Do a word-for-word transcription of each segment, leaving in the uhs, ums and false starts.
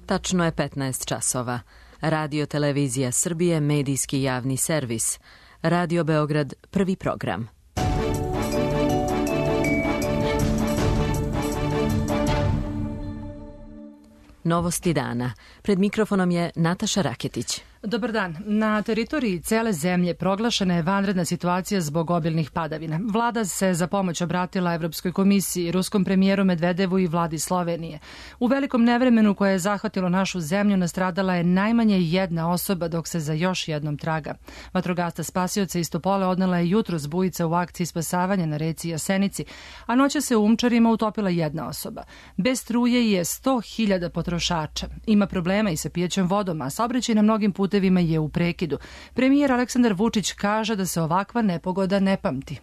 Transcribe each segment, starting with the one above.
Tačno je petnaest časova. Radio Televizija Srbije, medijski javni servis. Radio Beograd, prvi program. Novosti dana. Pred mikrofonom je Nataša Raketić. Dobar dan. Na teritoriji cele zemlje proglašena je vanredna situacija zbog obilnih padavina. Vlada se za pomoć obratila Evropskoj komisiji, ruskom premijeru Medvedevu i vladi Slovenije. U velikom nevremenu koje je zahvatilo našu zemlju nastradala je najmanje jedna osoba dok se za još jednom traga. Vatrogasca spasioca iz Topole odnela je jutros bujica u akciji spasavanja na reci Jasenici, a noća se u Umčarima utopila jedna osoba. Bez struje je sto hiljada potrošača. Ima problema i sa pijećom vodom, a saobraćaj na mnogim putevima je u prekidu. Premijer Aleksandar Vučić kaže da se ovakva nepogoda ne pamti.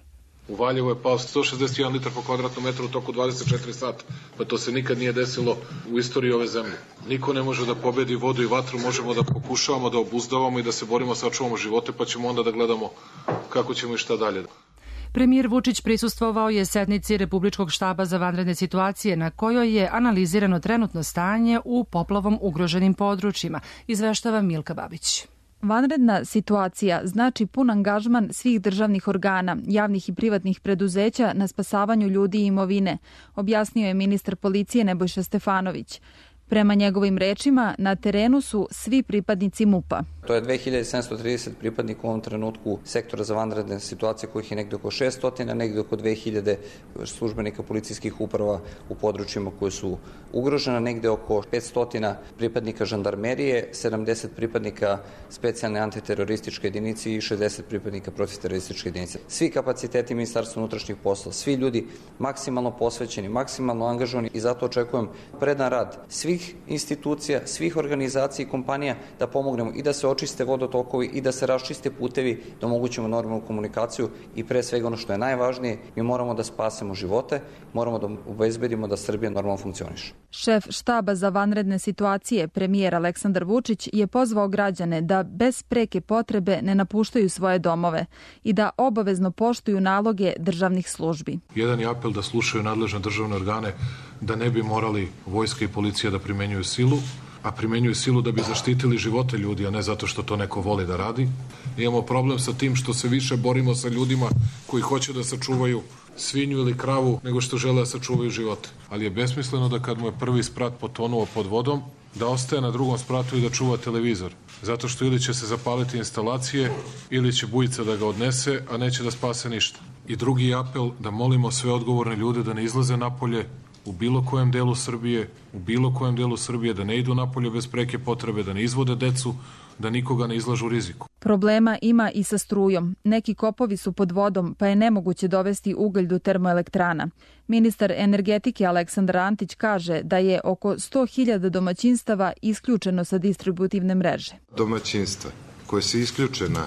U Valjevu je pao sto šezdeset jedan litar po kvadratnom metru u toku dvadeset četiri sata. Pa to se nikad nije desilo u istoriji ove zemlje. Niko ne može da pobedi vodu i vatru, možemo da pokušavamo da obuzdavamo i da se borimo, sačuvamo živote, pa ćemo onda da gledamo kako ćemo i šta dalje. Premijer Vučić prisustvovao je sednici Republičkog štaba za vanredne situacije na kojoj je analizirano trenutno stanje u poplavom ugroženim područjima, izveštava Milka Babić. Vanredna situacija znači pun angažman svih državnih organa, javnih i privatnih preduzeća na spasavanju ljudi i imovine, objasnio je ministar policije Nebojša Stefanović. Prema njegovim rečima, na terenu su svi pripadnici MUP-a. To je dve hiljade sedamsto trideset pripadnika u ovom trenutku sektora za vanredne situacije, kojih je negde oko šesnaest, negde oko dve hiljade službenika policijskih uprava u područjima koje su ugrožena, negde oko petsto pripadnika žandarmerije, sedamdeset pripadnika specijalne antiterorističke jedinice i šezdeset pripadnika protiterorističke jedinice. Svi kapaciteti Ministarstva unutrašnjih poslova, svi ljudi maksimalno posvećeni, maksimalno angažovani i zato očekujem predan rad svih institucija, svih organizacija i kompanija da pomognemo i da se očiste vodotokovi i da se raščiste putevi, da omogućimo normalnu komunikaciju i pre svega ono što je najvažnije, mi moramo da spasemo živote, moramo da obezbedimo da Srbija normalno funkcioniše. Šef štaba za vanredne situacije, premijer Aleksandar Vučić, je pozvao građane da bez preke potrebe ne napuštaju svoje domove i da obavezno poštuju naloge državnih službi. Jedan je apel da slušaju nadležne državne organe, da ne bi morali vojska i policija da primenjuju silu, a primenjuju silu da bi zaštitili živote ljudi, a ne zato što to neko voli da radi. Imamo problem sa tim što se više borimo sa ljudima koji hoće da sačuvaju svinju ili kravu nego što žele da sačuvaju živote. Ali je besmisleno da kad mu je prvi sprat potonuo pod vodom, da ostaje na drugom spratu i da čuva televizor. Zato što ili će se zapaliti instalacije, ili će bujica da ga odnese, a neće da spase ništa. I drugi apel da molimo sve odgovorne ljude da ne izlaze napolje, u bilo kojem delu Srbije, u bilo kojem delu Srbije, da ne idu napolje bez preke potrebe, da ne izvode decu, da nikoga ne izlažu riziku. Problema ima i sa strujom. Neki kopovi su pod vodom, pa je nemoguće dovesti ugalj do termoelektrana. Ministar energetike Aleksandar Antić kaže da je oko sto hiljada domaćinstava isključeno sa distributivne mreže. Domaćinstva koje su isključena,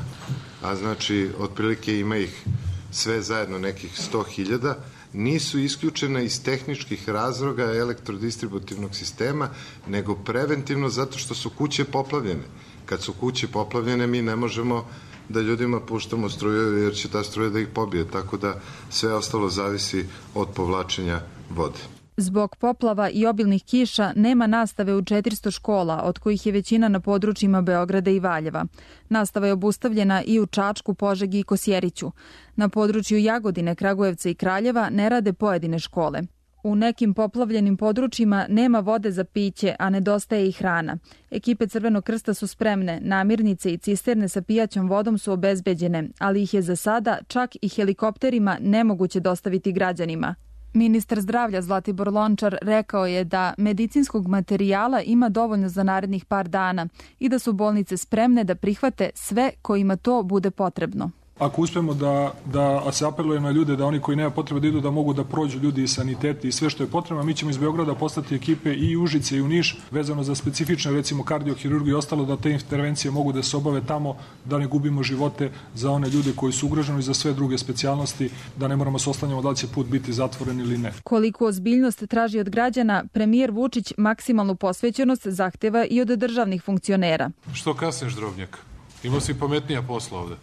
a znači otprilike ima ih sve zajedno nekih sto hiljada, nisu isključene iz tehničkih razloga elektrodistributivnog sistema, nego preventivno zato što su kuće poplavljene. Kad su kuće poplavljene, mi ne možemo da ljudima puštamo struju jer će ta struja da ih pobije, tako da sve ostalo zavisi od povlačenja vode. Zbog poplava i obilnih kiša nema nastave u četiristo škola, od kojih je većina na područjima Beograda i Valjeva. Nastava je obustavljena i u Čačku, Požegi i Kosjeriću. Na području Jagodine, Kragujevca i Kraljeva ne rade pojedine škole. U nekim poplavljenim područjima nema vode za piće, a nedostaje i hrana. Ekipe Crvenog krsta su spremne, namirnice i cisterne sa pijaćom vodom su obezbeđene, ali ih je za sada čak i helikopterima nemoguće dostaviti građanima. Ministar zdravlja Zlatibor Lončar rekao je da medicinskog materijala ima dovoljno za narednih par dana i da su bolnice spremne da prihvate sve kojima to bude potrebno. Ako uspemo da, da se apeluje na ljude da oni koji nema potrebe da idu da mogu da prođu ljudi i saniteti i sve što je potrebno, mi ćemo iz Beograda poslati ekipe i u Užice i u Niš vezano za specifične recimo kardiohirurgiju i ostalo da te intervencije mogu da se obave tamo, da ne gubimo živote za one ljude koji su ugroženi i za sve druge specijalnosti, da ne moramo se oslanjamo da li će put biti zatvoren ili ne. Koliko ozbiljnost traži od građana, premijer Vučić maksimalnu posvećenost zahteva i od državnih funkcionera. Što kasniš, Drobnjak? Imao si pametnija posla ovde.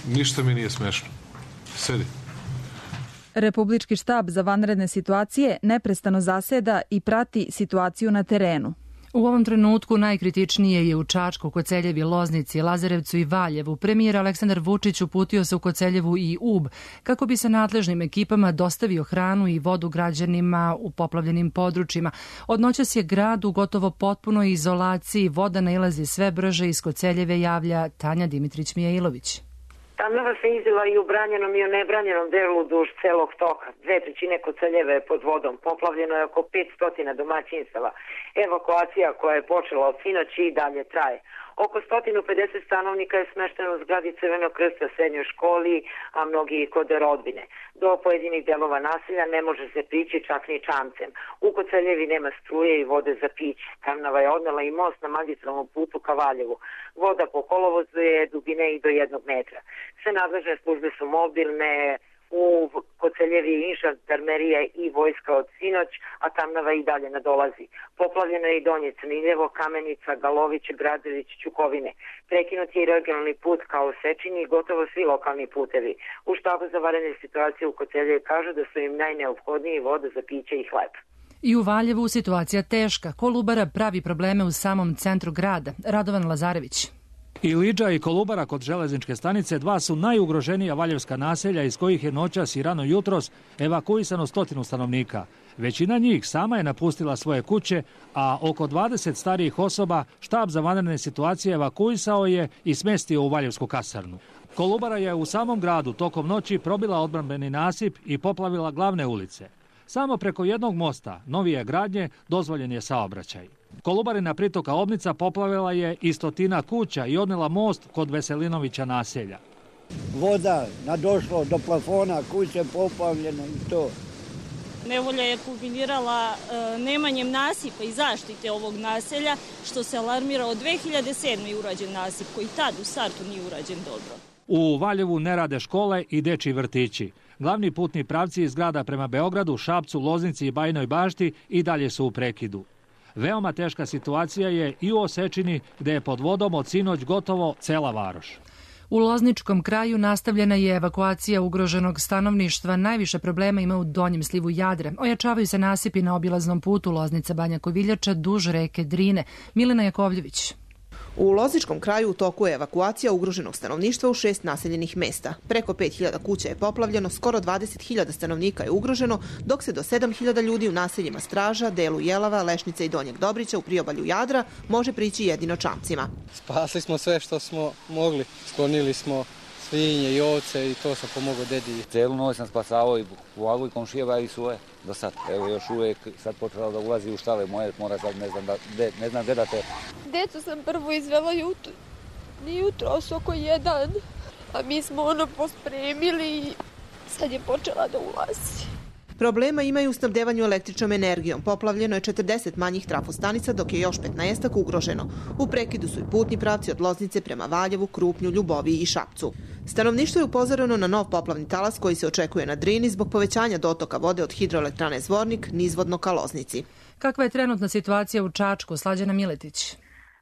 Ništa mi nije smešno. Sedi. Republički štab za vanredne situacije neprestano zaseda i prati situaciju na terenu. U ovom trenutku najkritičnije je u Čačku, Koceljevi, Loznici, Lazarevcu i Valjevu. Premijer Aleksandar Vučić uputio se u Koceljevu i Ub kako bi se nadležnim ekipama dostavio hranu i vodu građanima u poplavljenim područjima. Od noćas je grad u gotovo potpunoj izolaciji. Voda nailazi sve brže. Iz Koceljeve javlja Tanja Dimitrić-Mijailović. Tamnava se izila i u branjenom i u nebranjenom delu duž celog toka. Dve trećine Koceljeve je pod vodom. Poplavljeno je oko petsto domaćinstava. Evakuacija koja je počela od sinoći i dalje traje. Oko sto pedeset stanovnika je smešteno u zgradi Crvenog krsta, srednjoj školi, a mnogi i kod rodbine. Do pojedinih delova naselja ne može se prići čak ni čamcem. U Koceljevi nema struje i vode za piće. Tamnava je odnela i most na magistralnom putu ka Valjevu. Voda po kolovozu je dubine i do jednog metra. Sve nadležne službe su mobilne. U Koceljevi je žandarmerija i vojska od sinoć, a Tamnava i dalje nadolazi. Poplavljeno je i Donje Crniljevo, Kamenica, Galović, Gradović, Ćukovine. Prekinut je i regionalni put kao u Sečini i gotovo svi lokalni putevi. U štabu za vanredne situacije u Koceljevi kažu da su im najneophodniji voda za piće i hleb. I u Valjevu situacija teška. Kolubara pravi probleme u samom centru grada. Radovan Lazarević. I Liđa i Kolubara kod železničke stanice dva su najugroženija valjevska naselja iz kojih je noćas i rano jutros evakuisano stotinu stanovnika. Većina njih sama je napustila svoje kuće, a oko dvadeset starijih osoba štab za vanredne situacije evakuisao je i smestio u valjevsku kasarnu. Kolubara je u samom gradu tokom noći probila odbrambeni nasip i poplavila glavne ulice. Samo preko jednog mosta, novije gradnje, dozvoljen je saobraćaj. Kolubarina pritoka Obnica poplavila je i stotina kuća i odnela most kod Veselinovića naselja. Voda nadošlo do plafona, kuće poplavljene i to. Nevolja je kulminirala e, nemanjem nasipa i zaštite ovog naselja, što se alarmira od dve hiljade sedme. je urađen nasip, koji tad u startu nije urađen dobro. U Valjevu ne rade škole i dečji vrtići. Glavni putni pravci iz grada prema Beogradu, Šapcu, Loznici i Bajinoj Bašti i dalje su u prekidu. Veoma teška situacija je i u Osečini, gde je pod vodom od sinoć gotovo cela varoš. U Lozničkom kraju nastavljena je evakuacija ugroženog stanovništva. Najviše problema ima u donjem slivu Jadra. Ojačavaju se nasipi na obilaznom putu Loznica-Banja Koviljača duž reke Drine. Milena Jakovljević. U Lozničkom kraju u toku je evakuacija ugroženog stanovništva u šest naseljenih mesta. Preko pet hiljada kuća je poplavljeno, skoro dvadeset hiljada stanovnika je ugroženo, dok se do sedam hiljada ljudi u naseljima Straža, delu Jelava, Lešnice i Donjeg Dobrića u priobalju Jadra može prići jedino čamcima. Spasili smo sve što smo mogli. Sklonili smo svinje i ovce i to sam pomogao dedi. Celu noć sam spasavao i pomagu i komšijeva i svoje do sad. Evo još uvijek sad počela da ulazi u štale moje, mora sad ne znam da, de, ne znam gde da te. Decu sam prvo izvela jutro, jutro oko jedan, a mi smo ono pospremili i sad je počela da ulazi. Problema imaju u snabdevanju električnom energijom. Poplavljeno je četrdeset manjih trafostanica, dok je još petnaestak ugroženo. U prekidu su i putni pravci od Loznice prema Valjevu, Krupnju, Ljuboviji i Šapcu. Stanovništvo je upozoreno na nov poplavni talas koji se očekuje na Drini zbog povećanja dotoka vode od hidroelektrane Zvornik nizvodno ka Loznici. Kakva je trenutna situacija u Čačku? Slađana Miletić.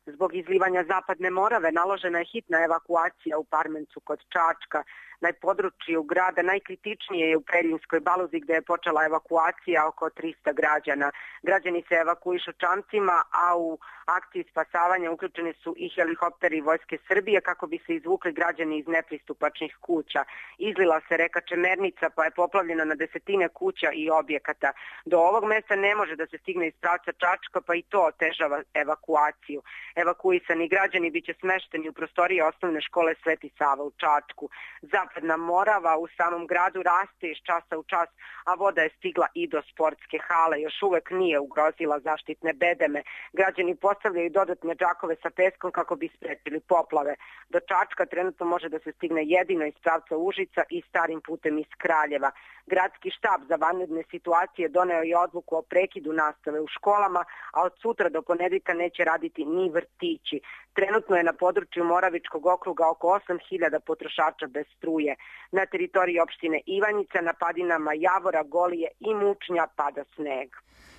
Zbog izlivanja Zapadne Morave naložena je hitna evakuacija u Parmencu kod Čačka. Na području grada najkritičnije je u Preljinskoj Baluzi gde je počela evakuacija oko trista građana. Građani se evakuišu čamcima, a u akciji spasavanja uključeni su i helikopteri Vojske Srbije kako bi se izvukli građani iz nepristupačnih kuća. Izlila se reka Čemernica pa je poplavljena na desetine kuća i objekata. Do ovog mesta ne može da se stigne iz pravca Čačka pa i to otežava evakuaciju. Evakuisani građani biće smešteni u prostorije osnovne škole Sveti Sava u Čačku. Zapadna Morava u samom gradu raste iz časa u čas, a voda je stigla i do sportske hale. Još uvek nije ugrozila zaštitne bedeme. Građani postavljaju dodatne džakove sa peskom kako bi sprečili poplave. Do Čačka trenutno može da se stigne jedino iz pravca Užica i starim putem iz Kraljeva. Gradski štab za vanredne situacije doneo je odluku o prekidu nastave u školama, a od sutra do ponedeljka neće raditi ni vrtići. Trenutno je na području Moravičkog okruga oko osam hiljada potrošača bez struje. Na teritoriji opštine Ivanjica, na padinama Javora, Golije i Mučnja pada sneg.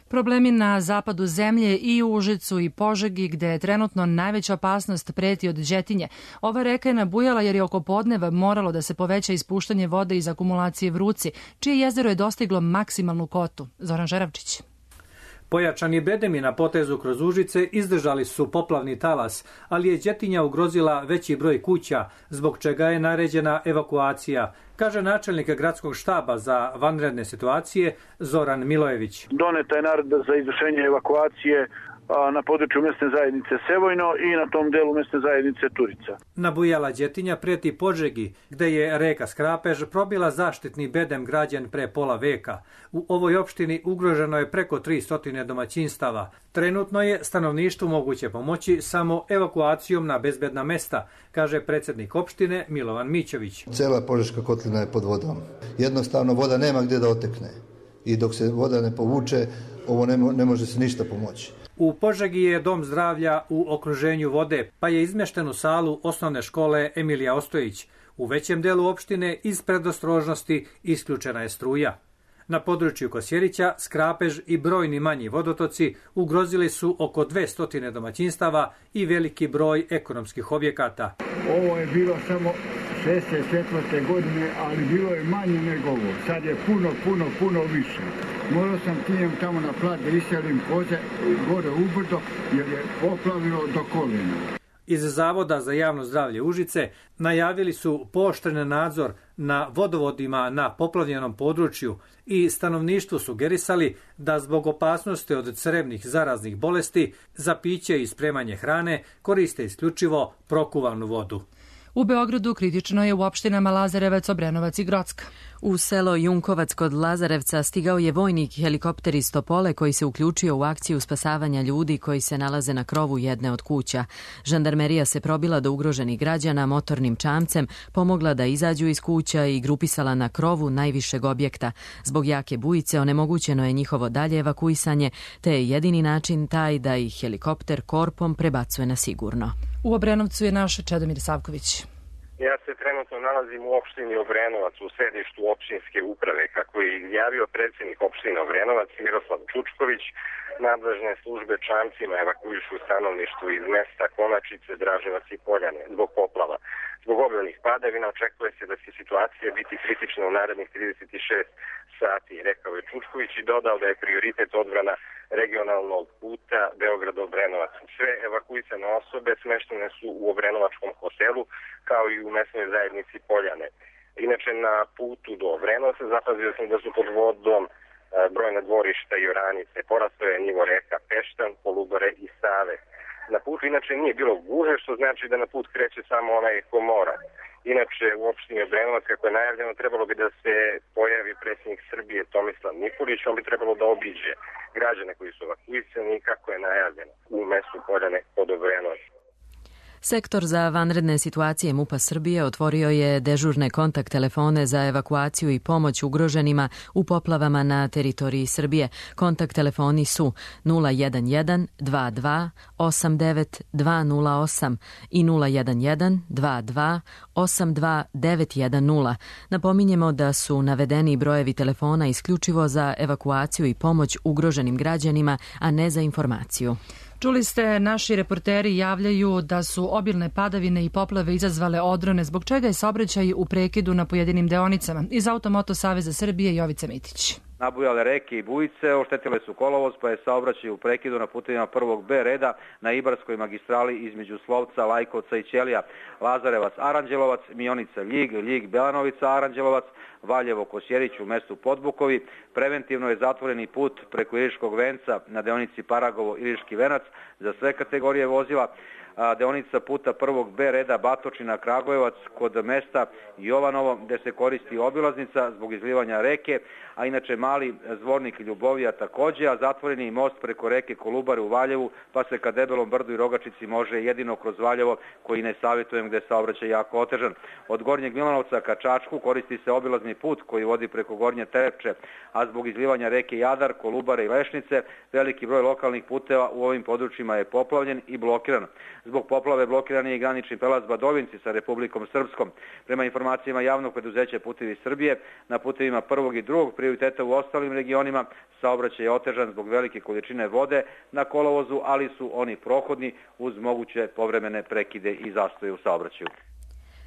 Problemi na zapadu zemlje i u Užicu i Požegi, gde je trenutno najveća opasnost preti od Đetinje. Ova reka je nabujala jer je oko podneva moralo da se poveća ispuštanje vode iz akumulacije Vruci, čije jezero je dostiglo maksimalnu kotu. Zoran Žeravčić. Pojačani bedemi na potezu kroz Užice izdržali su poplavni talas, ali je Đetinja ugrozila veći broj kuća, zbog čega je naređena evakuacija, kaže načelnik gradskog štaba za vanredne situacije Zoran Milojević. Doneta je naredba za izvršenje evakuacije na području mesne zajednice Sevojno i na tom delu mesne zajednice Turica. Nabujala Đetinja preti Požegi, gde je reka Skrapež probila zaštitni bedem građen pre pola veka. U ovoj opštini ugroženo je preko tristo domaćinstava. Trenutno je stanovništvu moguće pomoći samo evakuacijom na bezbedna mesta, kaže predsjednik opštine Milovan Mićović. Cela Požeška kotlina je pod vodom. Jednostavno voda nema gdje da otekne. I dok se voda ne povuče, ovo ne, mo- ne može se ništa pomoći. U Požegi je dom zdravlja u okruženju vode, pa je izmješten u salu osnovne škole Emilija Ostojić. U većem delu opštine iz predostrožnosti isključena je struja. Na području Kosjerića, Skrapež i brojni manji vodotoci ugrozili su oko dvesta domaćinstava i veliki broj ekonomskih objekata. Ovo je bilo samo šezdeset četvrte godine, ali bilo je manje nego ovo. Sad je puno, puno, puno više. Morao sam tijem tamo na plat da iselim koze gore u brdo jer je poplavilo do kolena. Iz Zavoda za javno zdravlje Užice najavili su pooštren nadzor na vodovodima na poplavljenom području i stanovništvu sugerisali da zbog opasnosti od crevnih zaraznih bolesti za piće i spremanje hrane koriste isključivo prokuvanu vodu. U Beogradu kritično je u opštinama Lazarevac, Obrenovac i Grocka. U selo Junkovac kod Lazarevca stigao je vojnik helikopter iz Topole koji se uključio u akciju spasavanja ljudi koji se nalaze na krovu jedne od kuća. Žandarmerija se probila do ugroženih građana motornim čamcem, pomogla da izađu iz kuća i grupisala na krovu najvišeg objekta. Zbog jake bujice onemogućeno je njihovo dalje evakuisanje, te je jedini način taj da ih helikopter korpom prebacuje na sigurno. U Obrenovcu je naš Čedomir Savković. Ja se trenutno nalazim u opštini Obrenovac, u sedištu opštinske uprave. Kako je izjavio predsjednik opštine Obrenovac Miroslav Čučković, nadležne službe čamcima evakuišu stanovništvo iz mesta Konačice, Draževac i Poljane zbog poplava. Zbog obilnih padavina očekuje se da će situacija biti kritična u narednih trideset šest sati, rekao je Čučković i dodao da je prioritet odbrana regionalnog puta Beograd-Obrenovac. Sve evakuisane osobe smeštene su u Obrenovačkom hotelu kao i u mesnoj zajednici Poljane. Inače, na putu do Obrenovca zapazio sam da su pod vodom brojna dvorišta i oranice. Porastao je nivo reka Peštan, Kolubare i Save. Na putu inače nije bilo guže, što znači da na put kreće samo onaj ko mora. Inače, u opštini Obrenovac, kako je najavljeno, trebalo bi da se pojavi predsjednik Srbije Tomislav Nikolić, on bi trebalo da obiđe građane koji su evakuisani, kako je najavljeno, u mestu Poljane pod Obrenovcem. Sektor za vanredne situacije MUP-a Srbije otvorio je dežurne kontakt telefone za evakuaciju i pomoć ugroženima u poplavama na teritoriji Srbije. Kontakt telefoni su nula jedan jedan dva dva osam devet dva nula osam i nula jedan jedan dva dva osam dva devet jedan nula. Napominjemo da su navedeni brojevi telefona isključivo za evakuaciju i pomoć ugroženim građanima, a ne za informaciju. Čuli ste, naši reporteri javljaju da su obilne padavine i poplave izazvale odrone, zbog čega je saobraćaj u prekidu na pojedinim deonicama. Iz Automoto Saveza Srbije Jovica Mitić. Nabujale reke i bujice, oštetile su kolovoz, pa je saobraćaj u prekidu na putevima prvog B reda na Ibarskoj magistrali između Slovca, Lajkovca i Ćelija, Lazarevac, Aranđelovac, Mionica, Ljig, Ljig, Belanovica, Aranđelovac, Valjevo, Kosjerić u mestu Podbukovi. Preventivno je zatvoreni put preko Iriškog venca na deonici Paragovo, Iriški venac za sve kategorije vozila. Deonica puta prvog B reda Batočina, Kragujevac kod mesta Jovanovo gde se koristi obilaznica zbog izlivanja reke, a inače mali Zvornik Ljubovija takođe, a zatvoreni most preko reke Kolubare u Valjevu, pa se ka Debelom brdu i Rogačici može jedino kroz Valjevo, koji ne savjetujem gde je saobraćaj jako otežan. Od Gornjeg Milanovca ka Čačku koristi se obilazni put koji vodi preko Gornje Terepče, a zbog izlivanja reke Jadar, Kolubare i Lešnice veliki broj lokalnih puteva u ovim područjima je poplavljen i blokiran. Zbog poplave blokiran je i granični prelaz Badovinci sa Republikom Srpskom. Prema informacijama javnog preduzeća Putevi Srbije, na putevima prvog i drugog prioriteta u ostalim regionima saobraćaj je otežan zbog velike količine vode na kolovozu, ali su oni prohodni uz moguće povremene prekide i zastoje u saobraćaju.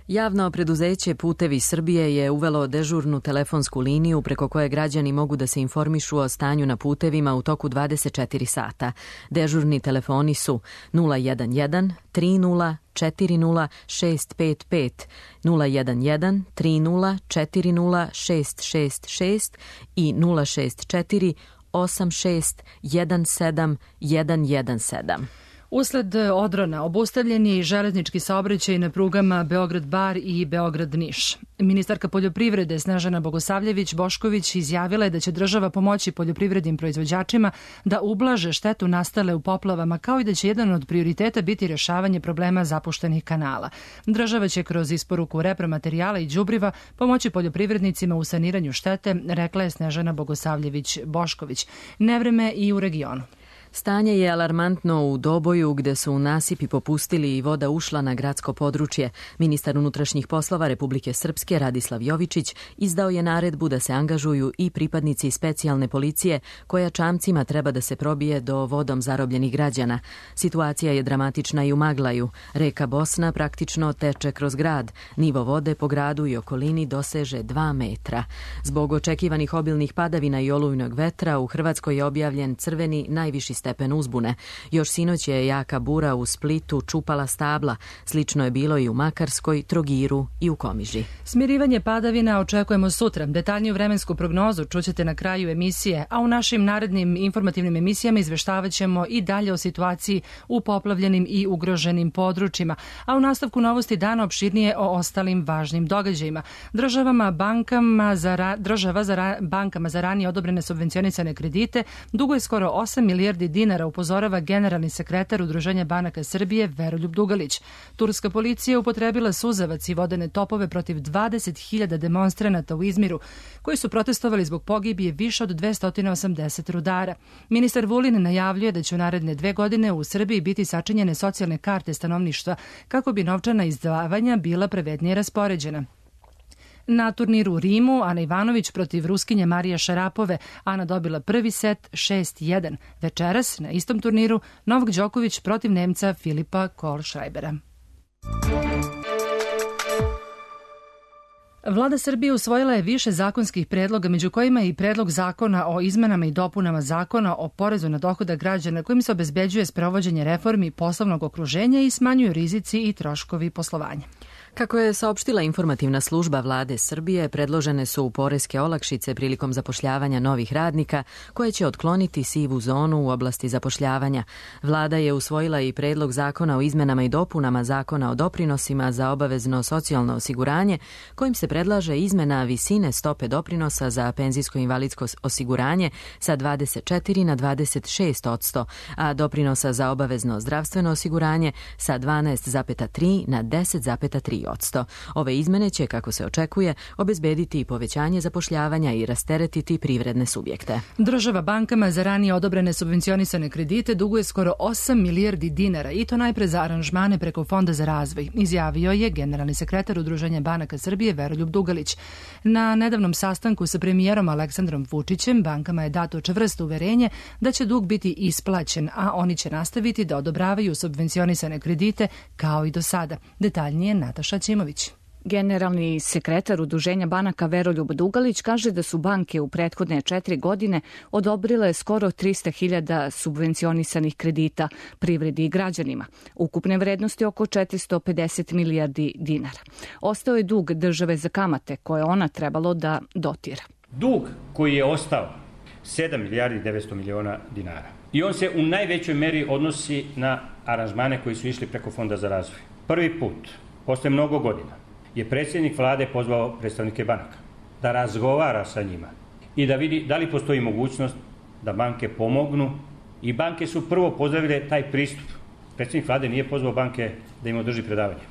Javno preduzeće Putevi Srbije je uvelo dežurnu telefonsku liniju preko koje građani mogu da se informišu o stanju na putevima u toku dvadeset četiri sata. Dežurni telefoni su nula jedan jedan tri nula četiri nula šest pet pet, nula jedan jedan tri nula četiri nula šest šest šest i nula šest četiri osam šest jedan sedam jedan jedan sedam. Usled odrona obustavljen je i železnički saobraćaj na prugama Beograd-Bar i Beograd-Niš. Ministarka poljoprivrede Snežana Bogosavljević-Bošković izjavila je da će država pomoći poljoprivrednim proizvođačima da ublaže štetu nastale u poplavama, kao i da će jedan od prioriteta biti rješavanje problema zapuštenih kanala. Država će kroz isporuku repromaterijala i đubriva pomoći poljoprivrednicima u saniranju štete, rekla je Snežana Bogosavljević-Bošković. Nevreme i u regionu. Stanje je alarmantno u Doboju gde su nasipi popustili i voda ušla na gradsko područje. Ministar unutrašnjih poslova Republike Srpske Radislav Jovičić izdao je naredbu da se angažuju i pripadnici specijalne policije koja čamcima treba da se probije do vodom zarobljenih građana. Situacija je dramatična i u Maglaju. Reka Bosna praktično teče kroz grad. Nivo vode po gradu i okolini doseže dva metra. Zbog očekivanih obilnih padavina i olujnog vetra u Hrvatskoj je objavljen crveni najviši stepen uzbune. Još sinoć je jaka bura u Splitu čupala stabla. Slično je bilo i u Makarskoj, Trogiru i u Komiži. Smirivanje padavina očekujemo sutra. Detaljniju vremensku prognozu čućete na kraju emisije, a u našim narednim informativnim emisijama izveštavat ćemo i dalje o situaciji u poplavljenim i ugroženim područjima, a u nastavku novosti dana opširnije o ostalim važnim događajima. Državama bankama za ra, država za ra, bankama za ranije odobrene subvencionisane kredite duguje skoro osam milijardi dinara, upozorava generalni sekretar Udruženja banaka Srbije Veroljub Dugalić. Turska policija upotrebila suzavac i vodene topove protiv dvadeset hiljada demonstranata u Izmiru, koji su protestovali zbog pogibije više od dvesta osamdeset rudara. Ministar Vulin najavljuje da će u naredne dve godine u Srbiji biti sačinjene socijalne karte stanovništva kako bi novčana izdavanja bila pravednije raspoređena. Na turniru u Rimu Ana Ivanović protiv Ruskinje Marije Šarapove. Ana dobila prvi set šest jedan. Večeras na istom turniru Novak Đoković protiv Nemca Filipa Kohlschreibera. Vlada Srbije usvojila je više zakonskih predloga, među kojima je i predlog zakona o izmenama i dopunama zakona o porezu na dohodak građana, kojim se obezbeđuje sprovođenje reformi poslovnog okruženja i smanjuju rizici i troškovi poslovanja. Kako je saopštila informativna služba Vlade Srbije, predložene su poreske olakšice prilikom zapošljavanja novih radnika, koje će otkloniti sivu zonu u oblasti zapošljavanja. Vlada je usvojila i predlog zakona o izmenama i dopunama zakona o doprinosima za obavezno socijalno osiguranje, kojim se predlaže izmena visine stope doprinosa za penzijsko-invalidsko osiguranje sa dvadeset četiri na dvadeset šest odsto, a doprinosa za obavezno zdravstveno osiguranje sa dvanaest zarez tri na deset zarez tri odsto. Ove izmene će, kako se očekuje, obezbediti i povećanje zapošljavanja i rasteretiti privredne subjekte. Država bankama za ranije odobrene subvencionisane kredite duguje skoro osam milijardi dinara i to najpre za aranžmane preko Fonda za razvoj, izjavio je generalni sekretar Udruženja banaka Srbije Veroljub Dugalić. Na nedavnom sastanku sa premijerom Aleksandrom Vučićem bankama je dato čvrsto uverenje da će dug biti isplaćen, a oni će nastaviti da odobravaju subvencionisane kredite kao i do sada. Detaljnije Nataša Ćimović. Generalni sekretar Udruženja banaka Veroljub Dugalić kaže da su banke u prethodne četiri godine odobrile skoro trista hiljada subvencionisanih kredita privredi i građanima, ukupne vrednosti oko četiristo pedeset milijardi dinara. Ostao je dug države za kamate koje ona trebalo da dotira. Dug koji je ostao sedam milijardi devetsto miliona dinara i on se u najvećoj meri odnosi na aranžmane koji su išli preko Fonda za razvoj. Prvi put, posle mnogo godina, je predsjednik vlade pozvao predstavnike banaka da razgovara sa njima i da vidi da li postoji mogućnost da banke pomognu, i banke su prvo pozdravile taj pristup. Predsjednik vlade nije pozvao banke da im održi predavanje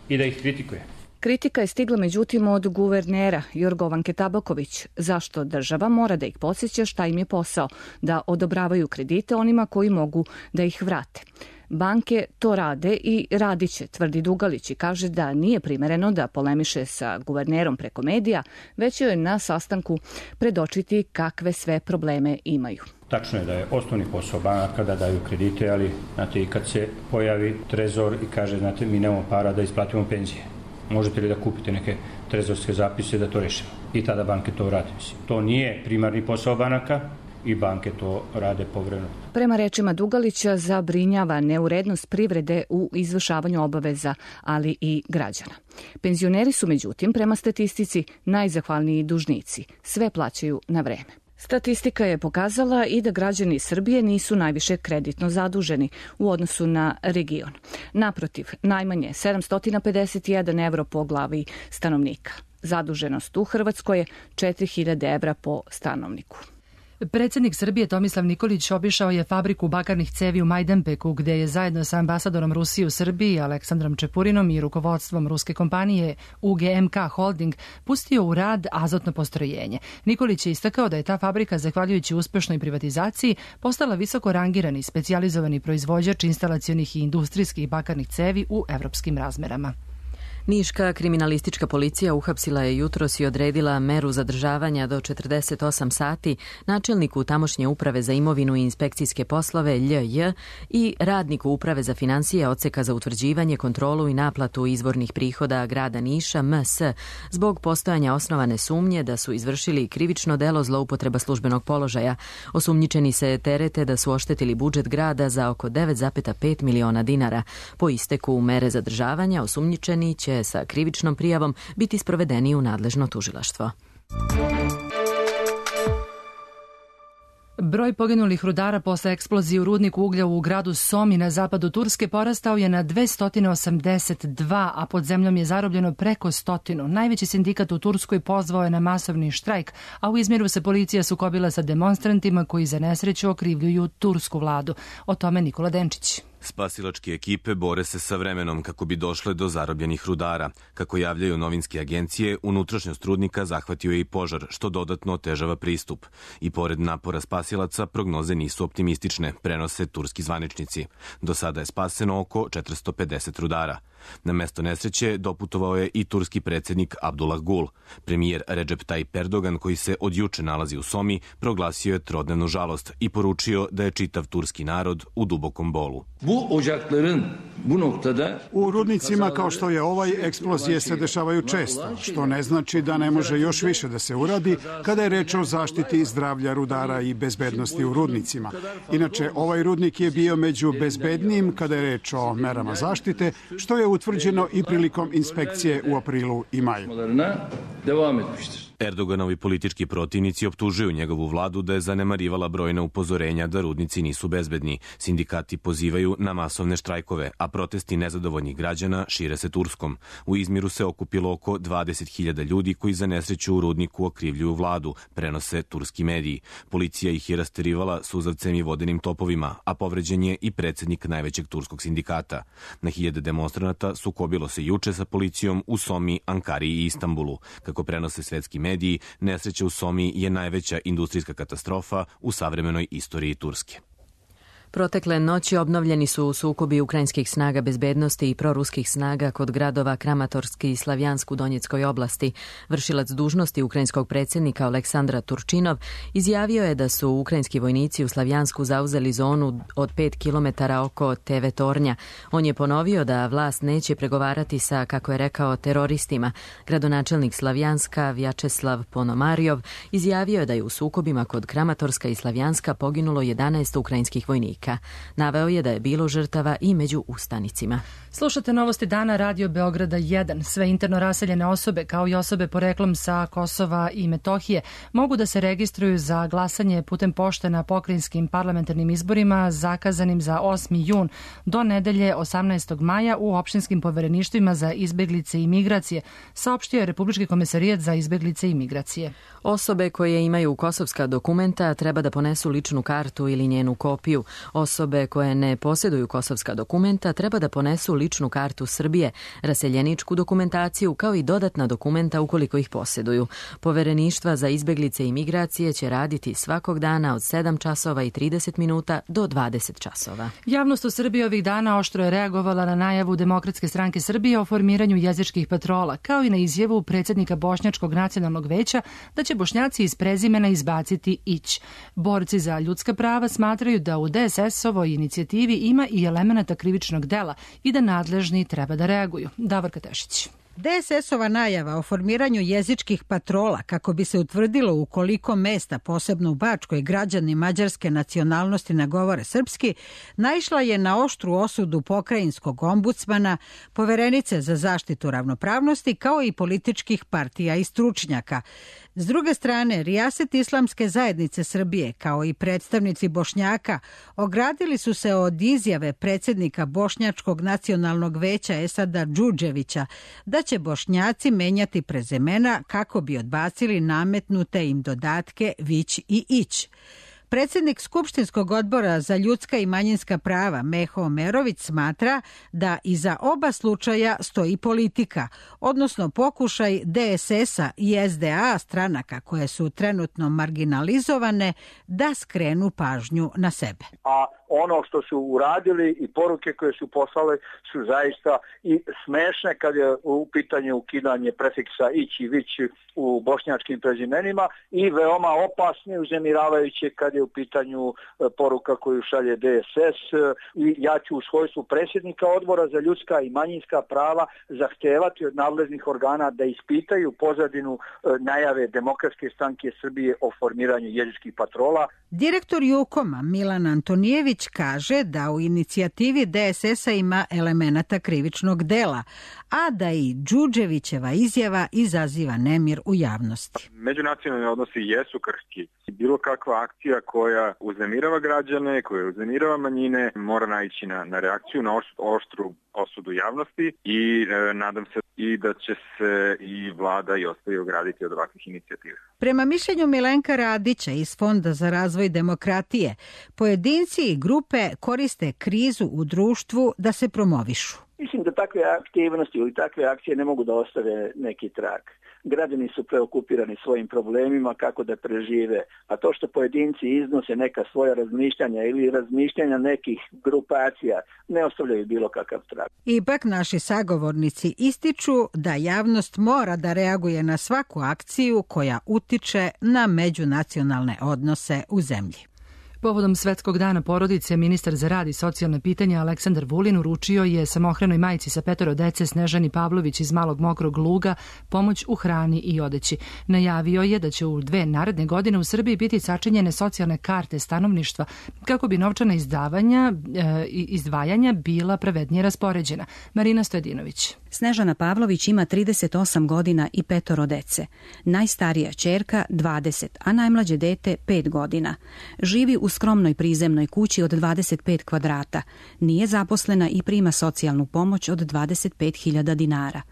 i da ih kritikuje. Kritika je stigla međutim od guvernera Jorgovanke Tabaković. Zašto država mora da ih podsjeća šta im je posao, da odobravaju kredite onima koji mogu da ih vrate. Banke to rade i radit će, tvrdi Dugalić i kaže da nije primereno da polemiše sa guvernerom preko medija, već joj na sastanku predočiti kakve sve probleme imaju. Tačno je da je osnovni posao banaka da daju kredite, ali znate, i kad se pojavi trezor i kaže, znate, mi nemamo para da isplatimo penzije, možete li da kupite neke trezorske zapise da to rešimo? I tada banke to rade. To nije primarni posao banaka i banke to rade povremeno. Prema rečima Dugalića, zabrinjava neurednost privrede u izvršavanju obaveza, ali i građana. Penzioneri su, međutim, prema statistici najzahvalniji dužnici. Sve plaćaju na vreme. Statistika je pokazala i da građani Srbije nisu najviše kreditno zaduženi u odnosu na region. Naprotiv, najmanje sedamsto pedeset jedan evro po glavi stanovnika. Zaduženost u Hrvatskoj je četiri hiljade evra po stanovniku. Predsednik Srbije Tomislav Nikolić obišao je fabriku bakarnih cevi u Majdanpeku, gde je zajedno sa ambasadorom Rusije u Srbiji Aleksandrom Čepurinom i rukovodstvom ruske kompanije U G M K Holding pustio u rad azotno postrojenje. Nikolić je istakao da je ta fabrika, zahvaljujući uspešnoj privatizaciji, postala visoko rangirani specijalizovani proizvođač instalacionih i industrijskih bakarnih cevi u evropskim razmerama. Niška kriminalistička policija uhapsila je jutros i odredila meru zadržavanja do četrdeset osam sati načelniku tamošnje uprave za imovinu i inspekcijske poslove L J i radniku uprave za finansije odseka za utvrđivanje, kontrolu i naplatu izvornih prihoda grada Niša M S zbog postojanja osnovane sumnje da su izvršili krivično delo zloupotreba službenog položaja. Osumnjičeni se terete da su oštetili budžet grada za oko devet zarez pet miliona dinara. Po isteku mere zadržavanja osumnjičeni će sa krivičnom prijavom biti sprovedeni u nadležno tužilaštvo. Broj poginulih rudara posle eksplozije u rudniku uglja u gradu Somi na zapadu Turske porastao je na dvesta osamdeset dva, a pod zemljom je zarobljeno preko stotinu. Najveći sindikat u Turskoj pozvao je na masovni štrajk, a u Izmiru se policija sukobila sa demonstrantima koji za nesreću okrivljuju tursku vladu. O tome Nikola Denčić. Spasilačke ekipe bore se sa vremenom kako bi došle do zarobljenih rudara. Kako javljaju novinske agencije, unutrašnjost rudnika zahvatio je i požar, što dodatno otežava pristup. I pored napora spasilaca, prognoze nisu optimistične, prenose turski zvaničnici. Do sada je spaseno oko četiristo pedeset rudara. Na mesto nesreće doputovao je i turski predsjednik Abdullah Gul. Premijer Recep Tayyip Erdogan, koji se od juče nalazi u Somi, proglasio je trodnevnu žalost i poručio da je čitav turski narod u dubokom bolu. U rudnicima kao što je ovaj, eksplozije se dešavaju često, što ne znači da ne može još više da se uradi kada je reč o zaštiti zdravlja rudara i bezbednosti u rudnicima. Inače, ovaj rudnik je bio među bezbednijim kada je reč o merama zaštite, što je utvrđeno i prilikom inspekcije u aprilu i maju. Erdoganovi politički protivnici optužuju njegovu vladu da je zanemarivala brojna upozorenja da rudnici nisu bezbedni. Sindikati pozivaju na masovne štrajkove, a protesti nezadovoljnih građana šire se Turskom. U Izmiru se okupilo oko dvadeset hiljada ljudi koji za nesreću u rudniku okrivljuju vladu, prenose turski mediji. Policija ih je rasterivala suzavcem i vodenim topovima, a povređen je i predsjednik najvećeg turskog sindikata. Na hiljade demonstranata sukobilo se juče sa policijom u Somi, Ankari i Istanbulu. Kako prenose svetski mediji, nesreća u Somi je najveća industrijska katastrofa u savremenoj istoriji Turske. Protekle noći obnovljeni su sukobi ukrajinskih snaga bezbednosti i proruskih snaga kod gradova Kramatorski i Slavjansk u Donjeckoj oblasti. Vršilac dužnosti ukrajinskog predsjednika Aleksandra Turčinov izjavio je da su ukrajinski vojnici u Slavjansku zauzeli zonu od pet kilometara oko T V tornja. On je ponovio da vlast neće pregovarati sa, kako je rekao, teroristima. Gradonačelnik Slavjanska Vjačeslav Ponomarjov izjavio je da je u sukobima kod Kramatorska i Slavjanska poginulo jedanaest ukrajinskih vojnika. Naveo je da je bilo žrtava i među ustanicima. Slušate novosti dana Radio Beograda jedan. Sve interno raseljene osobe, kao i osobe poreklom sa Kosova i Metohije, mogu da se registruju za glasanje putem pošte na pokrajinskim parlamentarnim izborima zakazanim za osmi jun do nedelje osamnaestog maja u opštinskim povereništvima za izbeglice i migracije, saopštio je Republički komesarijat za izbeglice i migracije. Osobe koje imaju kosovska dokumenta treba da ponesu ličnu kartu ili njenu kopiju. Osobe koje ne posjeduju kosovska dokumenta treba da ponesu ličnu kartu Srbije, raseljeničku dokumentaciju kao i dodatna dokumenta ukoliko ih posjeduju. Povereništva za izbeglice i migracije će raditi svakog dana od sedam časova i trideset minuta do dvadeset časova. Javnost u Srbiji ovih dana oštro je reagovala na najavu Demokratske stranke Srbije o formiranju jezičkih patrola, kao i na izjavu predsjednika Bošnjačkog nacionalnog veća da će Bošnjaci iz prezimena izbaciti ić. Borci za ljudska prava smatraju da u D S S-ovoj inicijativi ima i elemenata krivičnog dela i da nadležni treba da reaguju. Davorka Tešić. D S S-ova najava o formiranju jezičkih patrola kako bi se utvrdilo u koliko mesta, posebno u Bačkoj, građani mađarske nacionalnosti ne govore srpski, naišla je na oštru osudu pokrajinskog ombudsmana, poverenice za zaštitu ravnopravnosti, kao i političkih partija i stručnjaka. S druge strane, Rijaset Islamske zajednice Srbije, kao i predstavnici Bošnjaka, ogradili su se od izjave predsjednika Bošnjačkog nacionalnog veća Esada Džudževića da će Bošnjaci menjati prezimena kako bi odbacili nametnute im dodatke vić i ić. Predsjednik Skupštinskog odbora za ljudska i manjinska prava Meho Omerović smatra da iza oba slučaja stoji politika, odnosno pokušaj D S S-a i S D A stranaka koje su trenutno marginalizovane da skrenu pažnju na sebe. A ono što su uradili i poruke koje su poslali su zaista i smešne kad je u pitanju ukidanje prefiksa ić i vić u bošnjačkim prezimenima i veoma opasne, uzemiravajuće kad je u pitanju poruka koju šalje D S S. I ja ću u svojstvu predsjednika odbora za ljudska i manjinska prava zahtevati od nadležnih organa da ispitaju pozadinu najave Demokratske stranke Srbije o formiranju jezičkih patrola. Direktor Jukoma Milan Antonijević kaže da u inicijativi D S S-a ima elemenata krivičnog dela, a da i Džudževićeva izjava izaziva nemir u javnosti. Međunacionalni odnosi jesu krhki. Bilo kakva akcija koja uznemirava građane, koja uznemirava manjine, mora naići na, na reakciju, na oštru osudu javnosti i e, nadam se i da će se i vlada i ostali ograditi od ovakvih inicijativa. Prema mišljenju Milenka Radića iz Fonda za razvoj demokratije, pojedinci i grupe koriste krizu u društvu da se promovišu. Mislim da takve aktivnosti ili takve akcije ne mogu da ostave neki trag. Građani su preokupirani svojim problemima kako da prežive, a to što pojedinci iznose neka svoja razmišljanja ili razmišljanja nekih grupacija ne ostavljaju bilo kakav trag. Ipak naši sagovornici ističu da javnost mora da reaguje na svaku akciju koja utiče na međunacionalne odnose u zemlji. Povodom Svetskog dana porodice, ministar za rad i socijalne pitanja Aleksandar Vulin uručio je samohranoj majci sa petoro dece Snežani Pavlović iz Malog Mokrog Luga pomoć u hrani i odeći. Najavio je da će u dve naredne godine u Srbiji biti sačinjene socijalne karte stanovništva kako bi novčana izdavanja i e, izdvajanja bila pravednije raspoređena. Marina Stojedinović. Snežana Pavlović ima trideset osam godina i petoro dece. Najstarija ćerka dvadeset, a najmlađe dete pet godina. Živi u skromnoj prizemnoj kući od dvadeset pet kvadrata. Nije zaposlena i prima socijalnu pomoć od dvadeset pet hiljada dinara.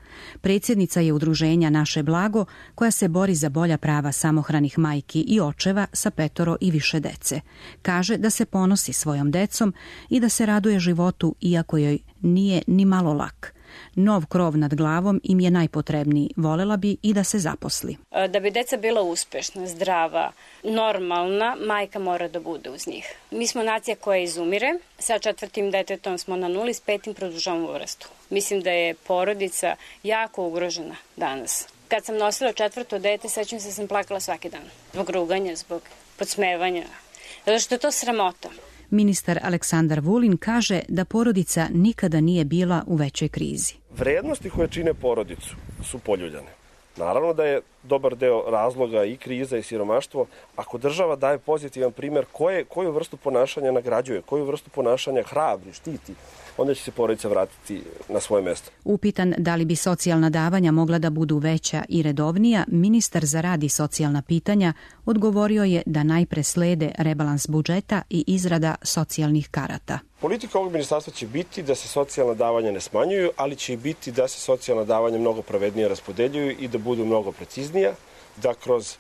Predsjednica je udruženja Naše blago koja se bori za bolja prava samohranih majki i očeva sa petoro i više dece. Kaže da se ponosi svojom decom i da se raduje životu iako joj nije ni malo lak. Nov krov nad glavom im je najpotrebniji. Volela bi i da se zaposli. Da bi deca bila uspešna, zdrava, normalna, majka mora da bude uz njih. Mi smo nacija koja izumire. Sa četvrtim detetom smo na nuli, s petim produžavamo vrstu. Mislim da je porodica jako ugrožena danas. Kad sam nosila četvrto dete, sećam se da sam plakala svaki dan. Zbog ruganja, zbog podsmevanja. Zato što je to sramota. Ministar Aleksandar Vulin kaže da porodica nikada nije bila u većoj krizi. Vrednosti koje čine porodicu su poljuljane. Naravno da je dobar deo razloga i kriza i siromaštvo. Ako država daje pozitivan primjer koje, koju vrstu ponašanja nagrađuje, koju vrstu ponašanja hrabri, štiti, onda će se porodica vratiti na svoje mesto. Upitan da li bi socijalna davanja mogla da budu veća i redovnija, ministar za rad i socijalna pitanja odgovorio je da najpre slede rebalans budžeta i izrada socijalnih karata. Politika ovog ministarstva će biti da se socijalna davanja ne smanjuju, ali će i biti da se socijalna davanja mnogo pravednije raspodeljuju i da budu mnogo preciznija, da kroz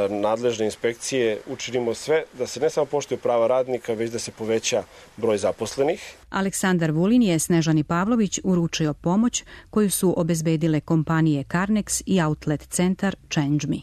nadležne inspekcije učinimo sve da se ne samo poštuje prava radnika, već da se poveća broj zaposlenih. Aleksandar Vulin je Snežani Pavlović uručio pomoć koju su obezbedile kompanije Carnex i outlet centar Change Me.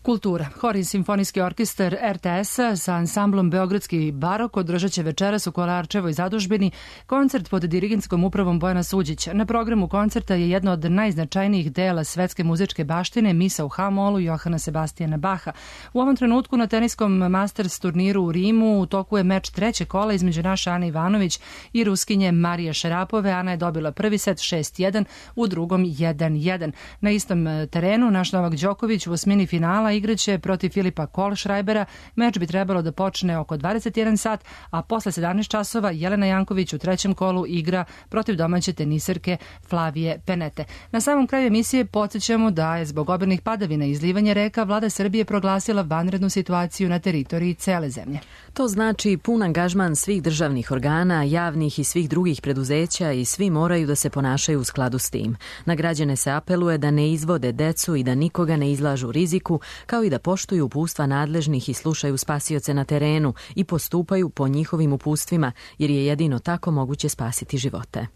Kultura. Hor i simfonijski orkestar er te es-a sa ansamblom Beogradski barok održat će večeras u Kolarčevoj zadužbini koncert pod dirigentskom upravom Bojana Suđića. Na programu koncerta je jedno od najznačajnijih dela svetske muzičke baštine, misa u ha-molu Johana Sebastijana Baha. U ovom trenutku na teniskom Masters turniru u Rimu u toku je meč treće kola između naše Ane Ivanović i Ruskinje Marije Šarapove. Ana je dobila prvi set šest jedan, u drugom jedan jedan. Na istom terenu naš Novak Đoković u osmini finala igraće protiv Filipa Kohlschreibera. Meč bi trebalo da počne oko dvadeset jedan sat, a posle sedamnaest časova Jelena Janković u trećem kolu igra protiv domaće teniserke Flavije Penete. Na samom kraju emisije podsjećamo da je zbog obilnih padavina i izlivanja reka vlada Srbije proglasila vanrednu situaciju na teritoriji cele zemlje. To znači pun angažman svih državnih organa, javnih i svih drugih preduzeća i svi moraju da se ponašaju u skladu s tim. Na građane se apeluje da ne izvode decu i da nikoga ne izlažu riziku, kao i da poštuju upustva nadležnih i slušaju spasioce na terenu i postupaju po njihovim upustvima, jer je jedino tako moguće spasiti živote.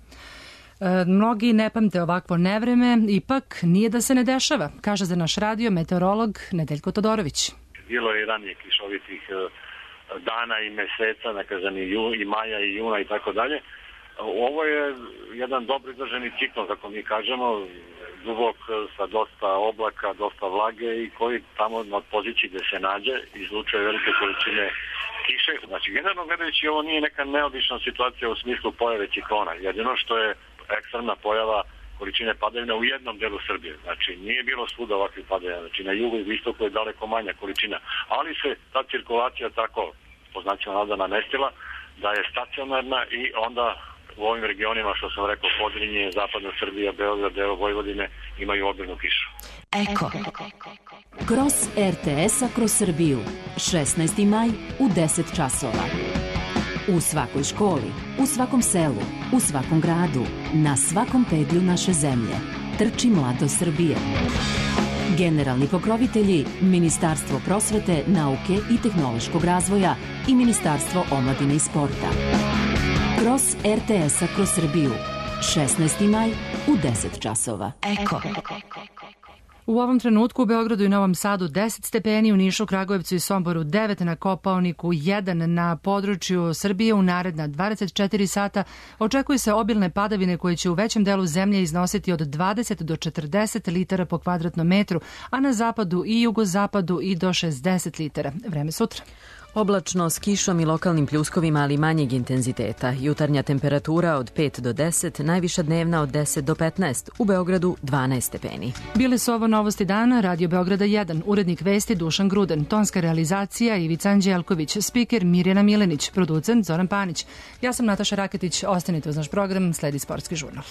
E, mnogi ne pamte ovakvo nevreme, ipak nije da se ne dešava, kaže za naš radio meteorolog Nedeljko Todorović. Bilo je i ranije kišovitih dana i meseca, nekazan i, ju, i maja i juna i tako dalje. Ovo je jedan dobro izdržani ciklon, kako mi kažemo, dubok sa dosta oblaka, dosta vlage i koji tamo na poziciji gde se nađe izlučuje velike količine kiše. Znači, generalno gledajući, ovo nije neka neobična situacija u smislu pojave ciklona. Jedino što je ekstremna pojava količine padavina u jednom delu Srbije. Znači, nije bilo svuda ovakvih padavina. Znači, na jugu i istoku je daleko manja količina. Ali se ta cirkulacija tako, po znacima navoda, namestila da je stacionarna i onda u ovim regionima, što sam rekao, Podrinje, Zapadna Srbija, Beograd, deo Vojvodine, imaju obilnu kišu. Eko. Kroz er te es-a kroz Srbiju. šesnaesti maj u deset časova. U svakoj školi, u svakom selu, u svakom gradu, na svakom pedlju naše zemlje. Trči mladost Srbije. Generalni pokrovitelji Ministarstvo prosvete, nauke i tehnološkog razvoja i Ministarstvo omladine i sporta. Kroz er te es-a kroz Srbiju. šesnaesti maj u deset časova. Eko. U ovom trenutku u Beogradu i Novom Sadu deset stepeni, u Nišu, Kragujevcu i Somboru devet, na Kopaoniku jedan, na području Srbije u naredna dvadeset četiri sata očekuju se obilne padavine koje će u većem delu zemlje iznositi od dvadeset do četrdeset litara po kvadratnom metru, a na zapadu i jugozapadu i do šezdeset litara. Vreme sutra. Oblačno s kišom i lokalnim pljuskovima, ali manjeg intenziteta. Jutarnja temperatura od pet do deset, najviša dnevna od deset do petnaest, u Beogradu dvanaest stepeni. Bile su ovo novosti dana, Radio Beograda jedan, urednik vesti Dušan Gruden, tonska realizacija Ivica Anđelković, spiker Mirjana Milenić, producent Zoran Panić. Ja sam Nataša Raketić, ostanite uz naš program, sledi Sportski žurnal.